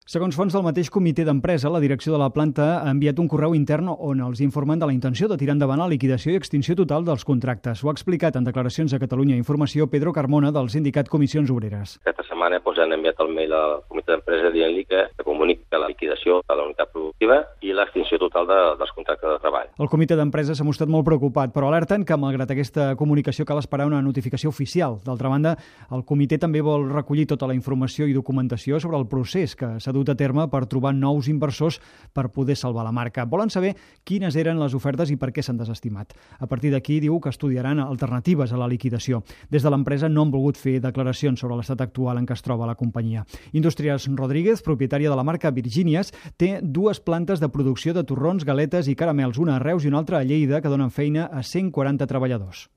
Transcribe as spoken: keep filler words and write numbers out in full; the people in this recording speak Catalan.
Segons fonts del mateix comitè d'empresa, la direcció de la planta ha enviat un correu intern on els informen de la intenció de tirar endavant la liquidació i extinció total dels contractes. Ho ha explicat en declaracions a Catalunya Informació Pedro Carmona del sindicat Comissions Obreres. Aquesta setmana doncs, han enviat el mail al comitè d'empresa dient-li que comunica la liquidació de la unitat productiva i l'extinció total de, dels contractes de treball. El comitè d'empresa s'ha mostrat molt preocupat, però alerten que, malgrat aquesta comunicació, cal esperar una notificació oficial. D'altra banda, el comitè també vol recollir tota la informació i documentació sobre el procés que s'ha dut a terme per trobar nous inversors per poder salvar la marca. Volen saber quines eren les ofertes i per què s'han desestimat. A partir d'aquí, diu que estudiaran alternatives a la liquidació. Des de l'empresa no han volgut fer declaracions sobre l'estat actual en què es troba la companyia. Indústries Rodríguez, propietària de la marca Virginias, té dues plantes de producció de torrons, galetes i caramels, una a Reus i una altra a Lleida, que donen feina a cent quaranta treballadors.